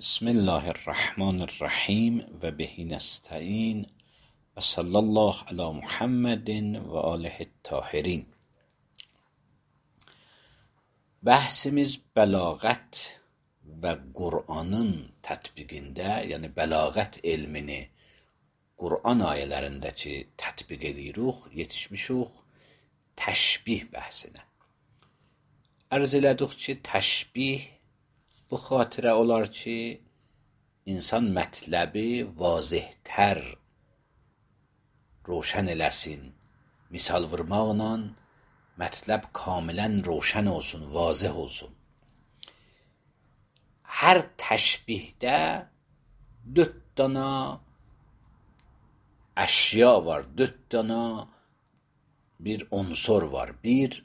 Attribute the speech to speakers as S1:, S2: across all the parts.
S1: بسم الله الرحمن الرحیم و به نستعین و صلی الله علی محمد و آله الطاهرین. Bəhsimiz bəlağət və Qur'anın tətbiqində, yəni bəlağət elmini Qur'an ayələrindəki tətbiq edirik, yetişmişik təşbih bəhsinə. Ərz elədik ki, təşbih bu xatirə olar ki, insan mətləbi vazihətər roşən eləsin. Misal vurmaqla mətləb kamilən roşən olsun, vazih olsun. Hər təşbihdə 4 dana əşya var, 4 dana bir unsur var. Bir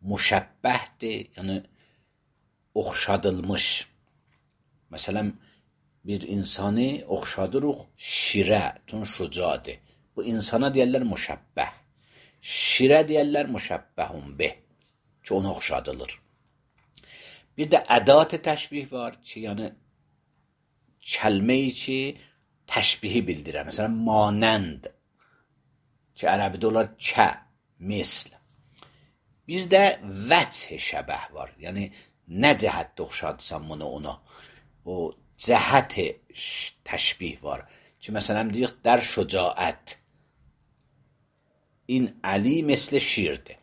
S1: müşəbbəhdir, yəni oxşadılmış. Məsələn, bir insanı oxşadırıq şirə, çün şucadır. Bu insana deyərlər müşəbbəh. Şirə deyərlər müşəbbəhun bih, ki ona oxşadılır. Bir də ədat-ı təşbih var ki, yəni kəlmə-i ki təşbihi bildirər. Məsələn, manənd ki ərəbidə olar kə, misl. Bir də vəch şəbəh var. Yəni nə cəhətdə oxşadırsan bunu ona. O cəhət təşbih var. Ki məsələn deyək در şücaət. این علی مثل şirdir.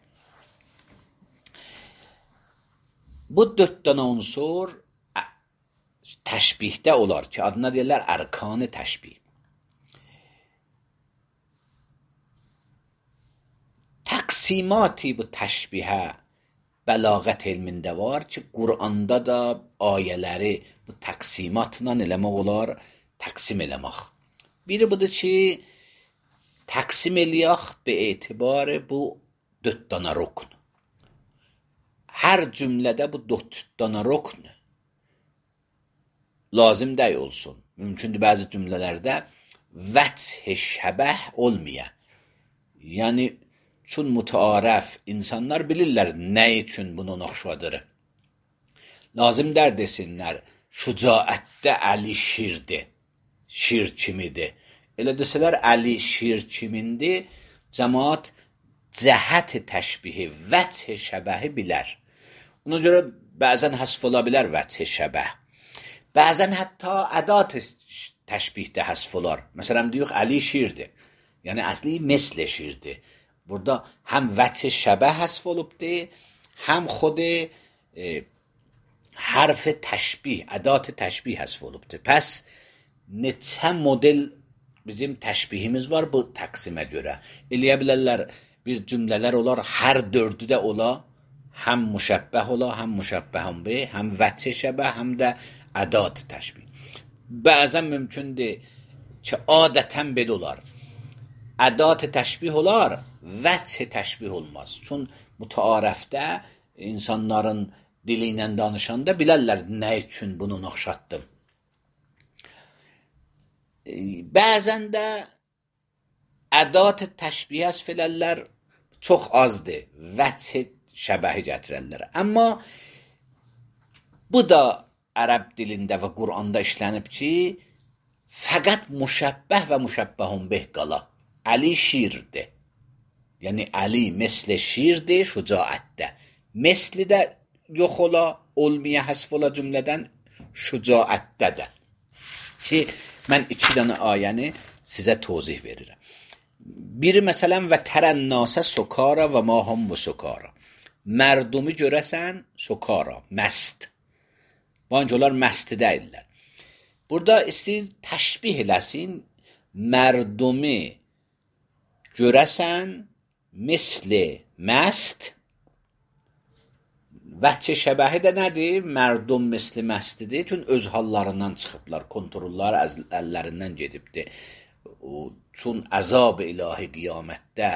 S1: Bu 4 dənə unsur təşbihdə olar ki, adına deyirlər ərkan-ı təşbih. Təqsimatı bu təşbihə bəlağət elmində var ki, Qur'anda da ayələri bu təqsimatla eləmək olar, təqsim eləmək. Biri budur ki, təqsim eləyək be etibar bu 4 dana rukn. Hər cümlədə bu 4 dana rukn lazım dəy olsun. Mümkündür bəzi cümlələrdə vəch şəbəh olmaya. Yəni çün mütəarəf insanlar bilirlər nə üçün bunu oxşadır. Lazım dər desinlər, şücaətdə Əli şirdir, şir kimidir. Elə desələr Əli şir kimindir, cəmaat cəhət təşbihi, vəch şəbəhi bilər. Ona görə bəzən həsf ola bilər vəch şəbəh. Bəzən hətta ədat təşbihdə həsf olar. Məsələn deyək Əli şirdir. Yəni əsli misl şirdir. Burada həm vəch şəbəh həsf olubdur, həm xود حرف təşbih, ədat təşbih həsf olubdur. Pəs neçə model bizim təşbihimiz var bu təqsimə görə. Eləyə bilərlər bir cümlələr olar, hər 4'ü də ola, həm müşəbbəh ola, həm müşəbbəhun bih, həm vəch şəbəh, həm də ədat təşbih. Bəzən mümkündür ki, adətən belə olar. Ədat təşbih olar, vəch təşbih olmaz. Çün mütəarəfdə insanların dili ilə danışanda bilərlər nə üçün bunu oxşatdım. Bəzən də ədat təşbih həsf elərlər, çox azdır. Vəch şəbəhi gətirərlər. Amma bu da ərəb dilində və Qur'anda işlənib ki, fəqət müşəbbəh və müşəbbəhun bih qala. Əli şirdir. Yəni Əli misl şirdir şücaətdə. Misli də yox ola, olmaya həsf ola cümlədən şücaətdə də. Ki, mən 2 dənə ayəni sizə tozih verirəm. Biri məsələn və tərənnəsə sukara və mahum bu sukara. Mərdumi görəsən sukara, məst. Bancı onlar məsti deyirlər. Burada istəyir təşbih eləsin, mərdumi görəsən misli məst. Vəch şəbəhi də nədir? Mərdum misli məstidir. Çünki öz hallarından çıxıblar, kontrolları əllərindən gedibdir. Çün əzab ilahi qiyamətdə,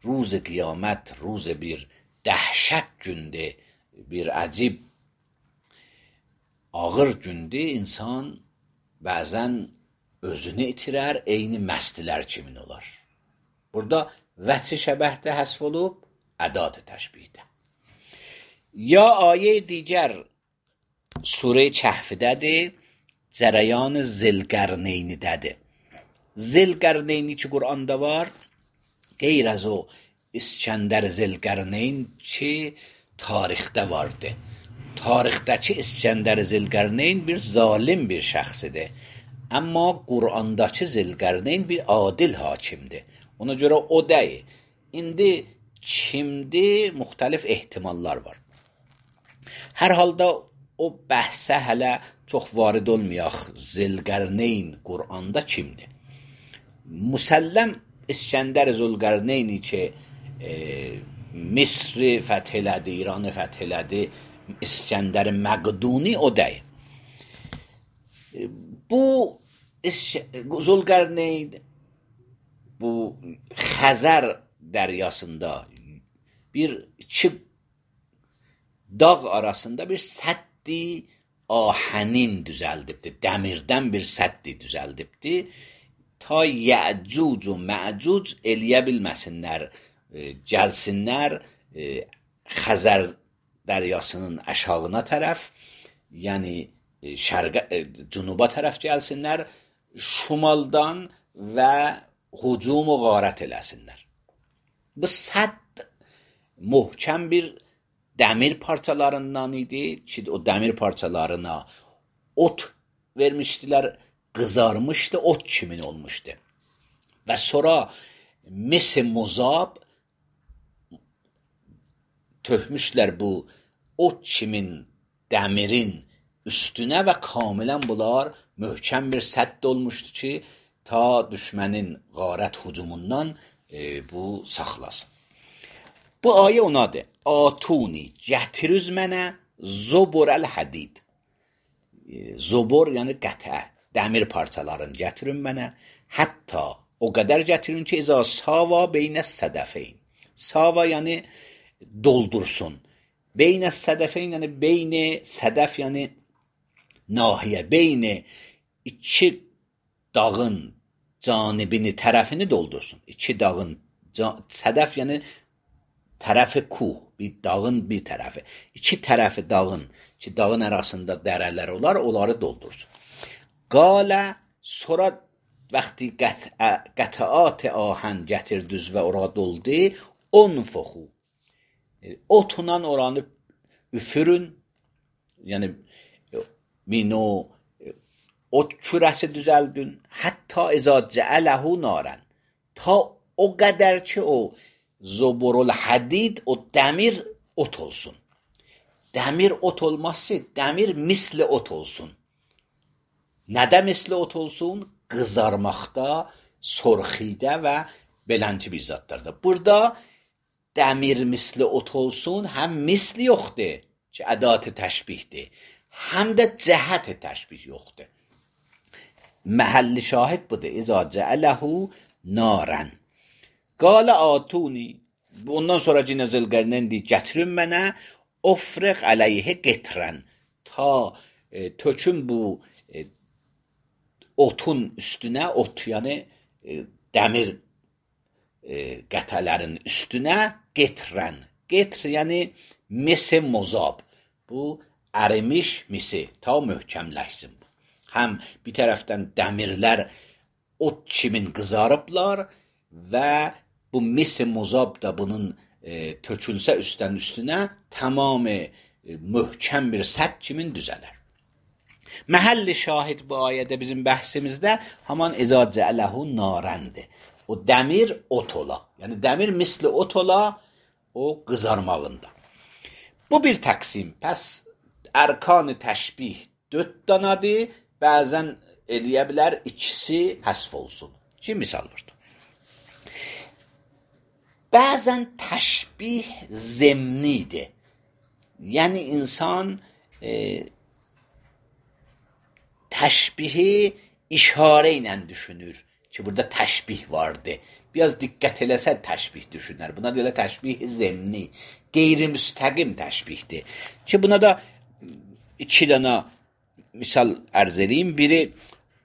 S1: ruz qiyamət, ruz bir dəhşət gündür, bir əcib ağır gündür, insan bəzən özünü itirər, eyni məstilər kimin olar. Burada vəch şəbəhdə həsf olub, ədat təşbihdə. Ya ayə digər Sure Kəhfdədir. cərəyan Zilqərneynidədir. Zilqərneyni ki Quranda var, qeyr az o İskəndər Zilqərneyn ki tarixdə vardı. Tarixdəki İskəndər Zilqərneyn bir zalim bir şəxsidir. Amma Qurandakı Zilqərneyn bir adil hakimdir. Ona görə o deyil. İndi kimdir? Müxtəlif ehtimallar var. Hər halda o bəhsə hələ çox varid olmayaq. Zilqərneyn Quranda kimdir? Müsəlləm İskəndər Zilqərneyni ki Misri fəth elədi, İranı fəth elədi, İskəndər Məqduni o deyil. Bu Zilqərneyn bu Xəzər dəryasında iki dağ arasında bir səddi ahənin düzəldibdi. Dəmirdən bir səddi düzəldibdi. Ta Yəcuc və Məcuc eləyə bilməsinlər, gəlsinlər Xəzər dəryasının aşağına tərəf, yəni cünuba tərəf gəlsinlər, şimaldan və hücum və qarət eləsinlər. Bu sədd möhkəm bir dəmir parçalarından idi ki, o dəmir parçalarına ot vermişdilər, qızarmışdı, ot kimin olmuşdu. Və sonra mis-i muzab tökmüşlər bu ot kimin dəmirin üstünə və kamilən bunlar möhkəm bir sədd olmuşdu ki, ta düşmənin qarət hücumundan bu saxlasın. Bu ayə onadır. Atuni, gətirüz mənə zoborəl hədid. Zobor yəni qətə, dəmir parçalarını gətirin mənə. Hətta o qədər gətirin ki, izə sava beynə sədəfeyn. Sava yəni doldursun. Beynə sədəfeyn yəni beyni sədəf yəni nahiyə, beyni iki dağın canibini, tərəfini doldursun. İki dağın, sədəf yəni tərəfi kuh, bir dağın bir tərəfi. İki tərəfi dağın, ki dağın arasında dərələr olar, onları doldursun. Qalə, sonra vaxtı qətaat ahən gətirdüz və ora doldu, onfuxu. Otunan oranı üfürün, yəni mino ot kürəsi düzəldün, hətta izə cəələhu narən. Ta o qədər ki o zoborul hadid, o dəmir ot olsun. Dəmir ot olmazsa, dəmir misli ot olsun. Nədə misli ot olsun? Qızarmaqda, sorxidə və belənci bir zatlarda. Burada dəmir misli ot olsun, həm misli yoxdur ki, ədat-ı təşbihdir, həm də cəhət-i təşbih yoxdur. Məhəlli şahid budur. İzə cəələhu narən. Qalə atuni. Bundan sonra cinə Zilqərneyn deyir, gətirin mənə ofriq əleyhə getirən. Ta tökün bu otun üstünə, ot yəni dəmir qətələrin üstünə getirən. Getr yəni misi mozab. Bu ərimiş misi. Ta möhkəmləşsin bu. Həm bir tərəfdən dəmirlər ot kimin qızarıblar və bu mis-i muzab da bunun tökülsə üstünə tamamı möhkəm bir sədd kimin düzələr. Məhəlli şahid bu ayədə bizim bəhsimizdə haman izə cəələhu narəndir. O dəmir ot ola. Yəni dəmir misli ot ola o qızarmağında. Bu bir təqsim. Pəs ərkan-ı təşbih 4 danadır. Bəzən eləyə bilər ikisi həsf olsun. Ki misal vurdu. Bəzən təşbih zemnidir. Yəni insan təşbihi işarə ilə düşünür ki, burada təşbih vardı. Biraz diqqət eləsə təşbih düşünər. Buna görə təşbih zemni, qeyri-müstəqim təşbihdir. Ki buna da 2 dənə misal ərz edeyim. Biri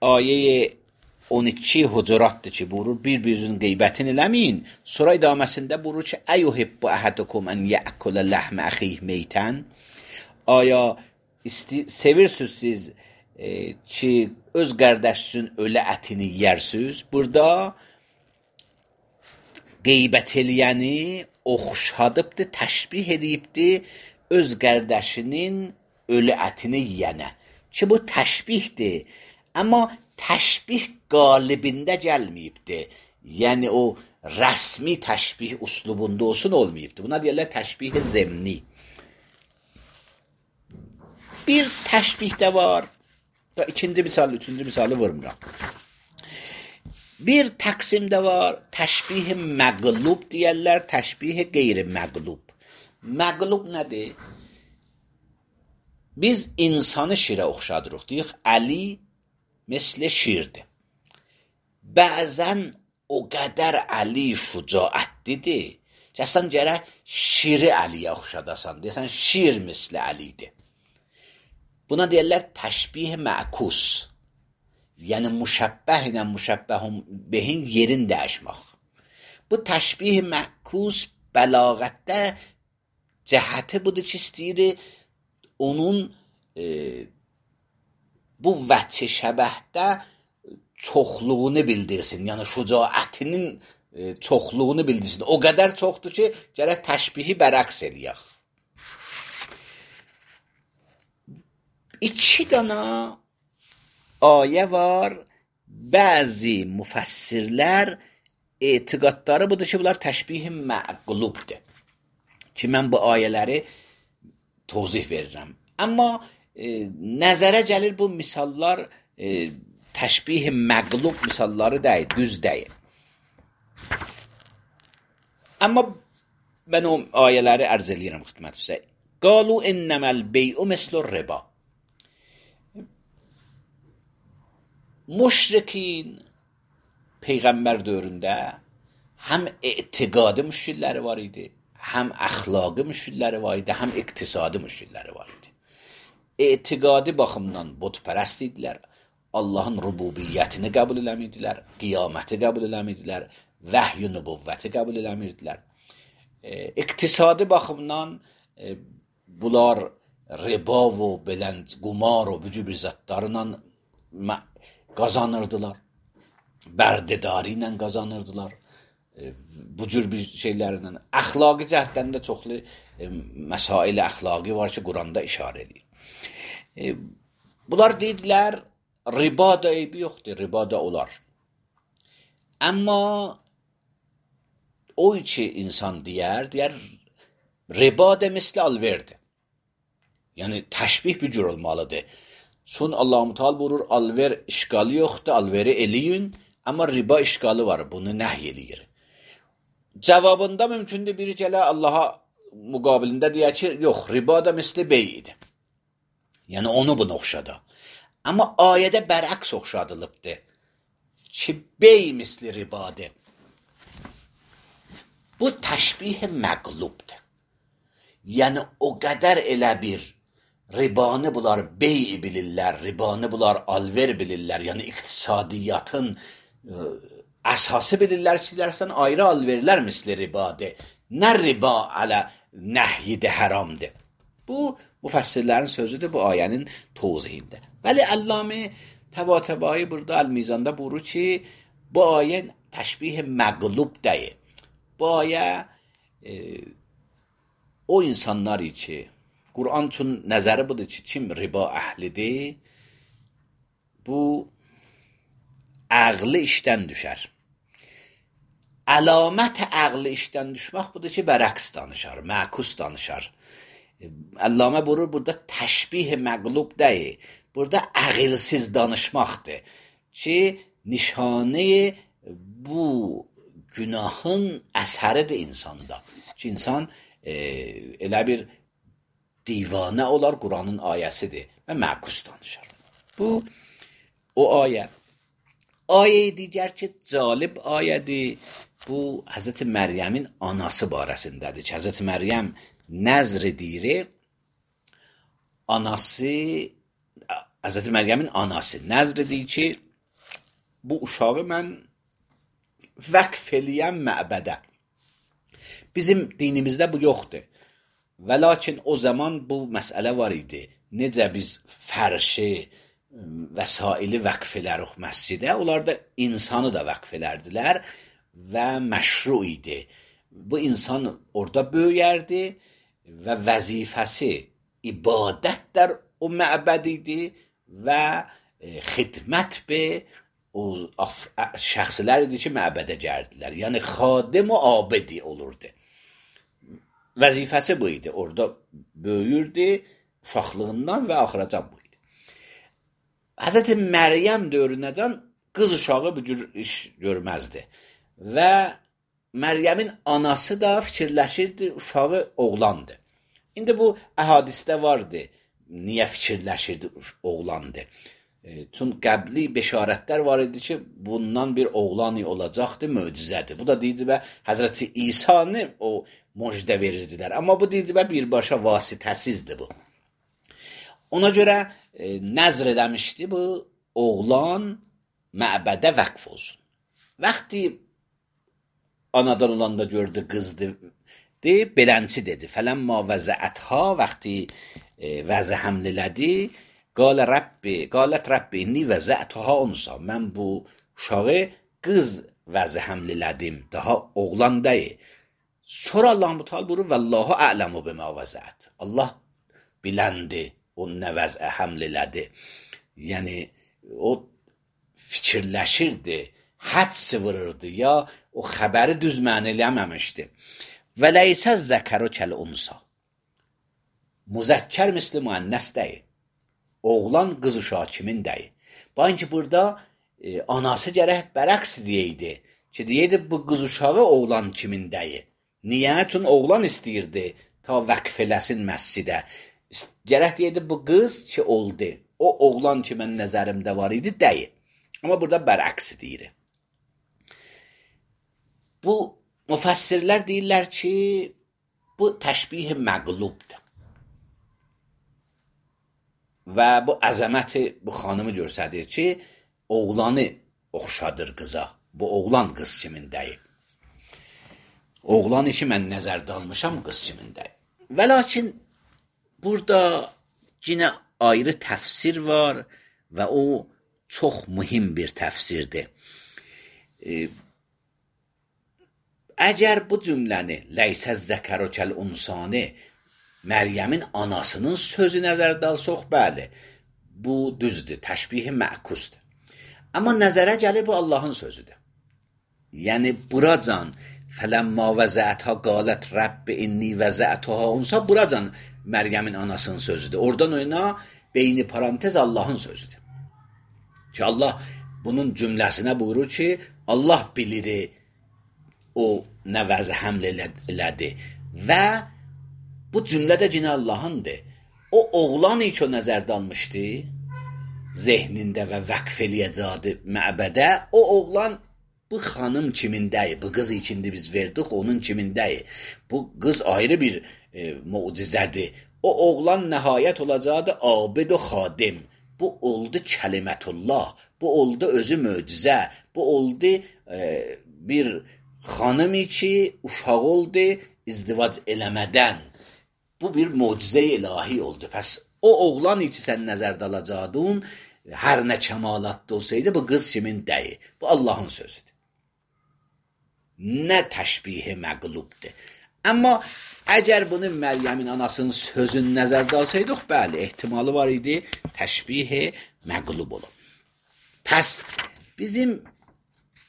S1: ayə 12 Hucuratdır ki, buyurur, bir-birinizin qeybətini eləməyin. Sonra idaməsində buyurur ki, əyuhibbu əhədukum ən yəkulə ləhmə əxih meytən. Aya sevirsiniz siz ki öz qardaşınızın ölü ətini yeyərsiniz. Burada qeybət eləyəni oxşadıbdır, təşbih edibdir öz qardaşının ölü ətini yeyənə. Ki bu təşbihdir. Amma təşbih qalibində gəlməyibdir. Yəni o rəsmi təşbih uslubunda olsun olmayıbdır. Buna deyirlər təşbih zəmni. Bir təşbih də var. İkinci misal, üçüncü misalı vurmuram. Bir təqsim də var. Təşbih məqlub deyirlər, təşbih qeyri-məqlub. Məqlub nədir? Biz insanı şirə oxşadırıq. Deyik, Əli misli şirdir. Bəzən o qədər Əli şücaətlidir. Cəsən gərək şiri Əliyə oxşadasan. Deyəsən, şir misli Əlidir. Buna deyirlər təşbih məkus. Yəni müşəbbəh ilə müşəbbəhun behin yerin dəyişmək. Bu təşbih məkus bəlağətdə cəhəti budur ki, istəyir onun bu vəchi şəbəhdə çoxluğunu bildirsin. Yəni şücaətinin çoxluğunu bildirsin. O qədər çoxdur ki, gərək təşbihi bərəks eləyək. 2 dana ayə var. Bəzi müfəssirlər etiqadları budur ki, bunlar təşbih məqlubdur. Ki, mən bu ayələri tozih verirəm. Amma nəzərə gəlir bu misallar təşbih məqlub misalları deyil, düz deyil. Amma mən o ayələri ərz eləyirəm xidmətinizə. Qalu innəməl bey'u mislur riba. Müşrikin Peyğəmbər dövründə həm etiqadi müşkilləri var idi, həm əxlaqi müşkilləri var idi, həm iqtisadi müşkilləri var idi. Etiqadi baxımdan butpərəst idilər, Allahın rububiyyətini qəbul eləmirdilər, qiyaməti qəbul eləmirdilər, vəhy-i nübüvvəti qəbul eləmirdilər. İqtisadi baxımdan bunlar riba və belənd, qumar və bu cür bir zatlarla qazanırdılar. Bərdədarı ilə qazanırdılar. Bu cür bir şeylərlə. Əxlaqi cəhətdən də çoxlu məsail əxlaqi var ki, Quranda işarə edir. Bunlar deyirlər, riba da eybi yoxdur, riba da olar. Amma o ki insan deyər, riba da misli alverdir. Yəni, təşbih bir cür olmalıdır. Çün Allah-u Teala buyurur, alver işgalı yoxdur, alveri eləyin, amma riba işgalı var, bunu nəhy eləyir. Cavabında mümkündür biri gələ Allaha müqabilində deyək ki, yox, riba da misli beyidir. Yəni, onu bunu oxşadı. Amma ayədə bərəks oxşadılıbdır ki, bey misli ribadır. Bu təşbih məqlubdur. Yəni, o qədər elə bir ribanı bunlar bey bilirlər, ribanı bunlar alver bilirlər, yəni iqtisadiyyatın əsası bilirlər ki, sən ayrı alverlər misli ribadır. Nə riba alə nəhyidə haramdır. Bu, müfəssirlərin sözüdür bu ayənin tozihində. Vəli Əlləmi Təbatəbai burada Əl-Mizanda buyurur ki, bu ayə təşbih məqlub deyil. Bu ayə o insanlar ki, Quran üçün nəzəri budur ki, kim riba əhlidir, bu əqli işdən düşər. Əlamət əqli işdən düşmək budur ki, bərəks danışar, məkus danışar. Əlləmə buyurur, burada təşbih məqlub deyil, burada əqilsiz danışmaqdır ki, nişanə bu günahın əsəridir insanda. Ki, insan elə bir divanə olar, Quranın ayəsidir və məkus danışar. Bu, o ayə. Ayə digər ki, calib ayədir. Bu, Həzrət Məryəmin anası barəsindədir ki, Həzrət Məryəm nəzr edir, anası, Həzrət Məryəmin anası nəzr edir ki, bu uşağı mən vəqf eləyəm məbədə. Bizim dinimizdə bu yoxdur. Və lakin o zaman bu məsələ var idi. Necə biz fərşi vəsaili vəqf edərik məscidə. Onlar da insanı da vəqf edərdilər və məşru idi. Bu insan orada böyüyərdi və vəzifəsi ibadətlər o məbəd idi və xidmət be o şəxslər idi ki, məbədə gəldilər. Yəni xadim və abidi olurdu. Vəzifəsi bu idi. Orada böyüyürdü uşaqlığından və axıracan bu idi. Həzrəti Məryəm dövrünəcən qız uşağı bu cür iş görməzdi. Və Məryəmin anası da fikirləşirdi, uşağı oğlandı. İndi bu əhadisdə vardı. Niyə fikirləşirdi oğlandı? Çünki qəbli beşarətlər var idi ki, bundan bir oğlan olacaqdı, möcüzədir. Bu da deyildi və Həzrəti İsa'nı o müjdə verirdilər. Amma bu deyildi və birbaşa vasitəsizdir bu. Ona görə nəzr eləmişdi bu oğlan məbədə vəqf olsun. Vaxtı anadan olanda gördü qızdı, belənçi dedi. Fələmma vəzəətha vaxtı vəzə həml elədi. Qalət Rəbbi inni vəzəətha unsa. Mən bu uşağı qız vəzə həml elədim. Daha oğlan deyil. Sonra Allah-u Teala buyurur Vallahu a'lamu bima vəzəət. Allah biləndi o nə vəzə həml elədi. Yəni o fikirləşirdi, həds vururdu ya o xəbəri düz mənə eləməmişdi. Və leysə zəkəru kəl unsa. Müzəkkər misli müənnəs deyil. Oğlan qız uşağı kimin deyil. Baxın ki, burada anası gərək bərəqs deyəydi. Ki, deyəydi bu qız uşağı oğlan kimin deyil. Niyə? Çünki oğlan istəyirdi ta vəqf eləsin məscidə. Gərək deyəydi bu qız ki, oldu. O oğlan ki, mən nəzərimdə var idi, deyil. Amma burada bərəqs deyir. Bu müfəssirlər deyirlər ki, bu təşbih məqlubdur. Və bu əzəməti bu xanımı göstərir ki, oğlanı oxşadır qıza. Bu oğlan qız kimin deyil. Oğlan işi mən nəzərdə almışam, qız kimin deyil. Və lakin burada yenə ayrı təfsir var və o çox mühim bir təfsirdir. Əgər bu cümləni leysə zəkəru kəl unsanı Məryəmin anasının sözü nəzərdə alsaq, bəli, bu düzdür, təşbihi məkusdur. Amma nəzərə gəlir bu Allahın sözüdür. Yəni buracan fələmma vəzəətha qalət Rəbbi inni vəzəətha unsa buracan Məryəmin anasının sözüdür. Oradan oyna beyni parantez Allahın sözüdür. Ki Allah bunun cümləsinə buyurur ki, Allah bilir o nə vəzə həml elədi və bu cümlə də yine Allah'ındır. O oğlan hiç o nəzərdə almışdı. Zehnində və vəqf eləyəcədi məbədə. O oğlan bu xanım kimindəyi. Bu qız içində biz verdik onun kimindəyi. Bu qız ayrı bir mucizədir. O oğlan nəhayət olacaqdı abid və xadim. Bu oldu kəlimətullah. Bu oldu özü möcüzə. Bu oldu bir xanım ki uşaq oldu izdivac eləmədən. Bu bir mucize-i ilahi oldu. Pəs o oğlan içi sən nəzərdə alacaqdın, hər nə kəmalatda olsaydı, bu qız kimin deyil. Bu Allahın sözüdür. Nə təşbihi məqlubdur. Amma əgər bunu Məryəmin anasının sözünü nəzərdə alsaydıq, bəli, ehtimalı var idi, təşbihi məqlub olur. Pəs bizim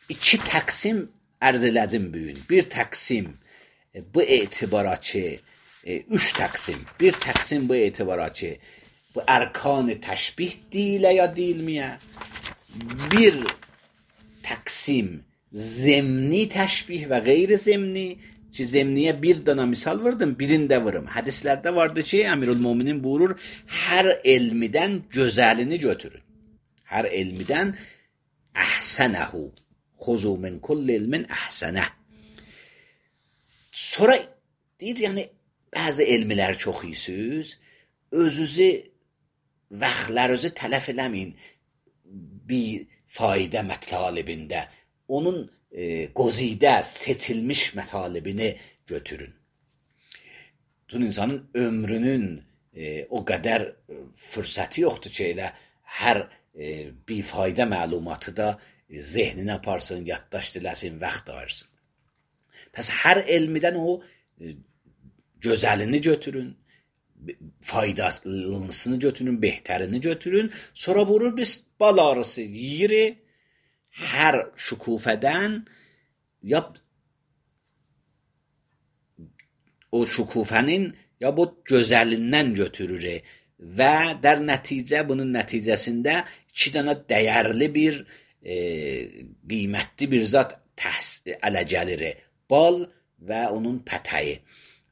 S1: iki təqsim ərz elədim bugün. Bir təqsim bu etibara ki, üç təqsim. Bir təqsim bu etibara ki, bu ərkan-ı təşbih deyilə ya deyilməyə. Bir təqsim zemni təşbih və qeyri-zemni. Ki, zemniyə bir dana misal verdim, birini də vırım. Hədislərdə vardı ki, Əmirül-Müminin buyurur, hər elmidən gözəlini götürün. Hər elmidən əhsənəhu. Xuzu min kulli ilmin əhsənəh. Sonra deyir, yəni, bəzi elmilər çox iyisiz, özünüzü, vaxtlarınızı tələf eləməyin bir fayda mətalibində. Onun qozidə, seçilmiş mətalibini götürün. Tüm insanın ömrünün o qədər fürsəti yoxdur ki, elə hər bifaydə məlumatı da zehninə aparsın, yaddaşd eləsin, vaxt ayırsın. Pəs hər elmidən o gözəlini götürün, faydalısını götürün, behtərini götürün, sonra vurur biz bal arısı yiyiri, hər şükufədən ya o şükufənin ya bu gözəlindən götürür və dər nəticə bunun nəticəsində 2 dənə dəyərli bir qiymətli bir zat ələ gəlir. Bal və onun pətəyi,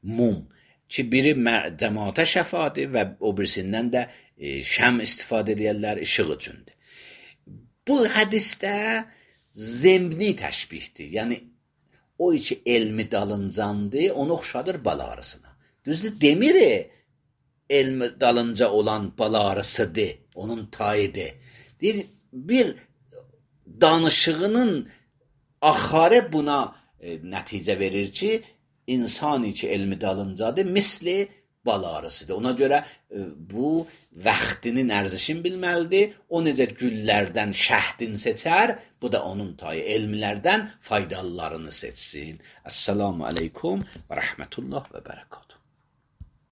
S1: mum ki biri cəmaata şəfadır və o birisindən də şəm istifadə edirlər işıq üçündür. Bu hədisdə zemni təşbihdir. Yəni o ki elmi dalıncandır, onu oxşadır bal arısına. Düzdür, demir elmi dalınca olan bal arısıdır, onun tayıdır. Deyir, bir danışığının axarı buna nəticə verir ki, insan ki elmi dalıncadır, misli bal arısıdır. Ona görə bu vaxtının ərzişini bilməlidir. O necə güllərdən şəhdin seçər, bu da onun tayı. Elmlərdən faydalılarını seçsin. Esselamu aleykum və rəhmətullah və bərəkatuhu.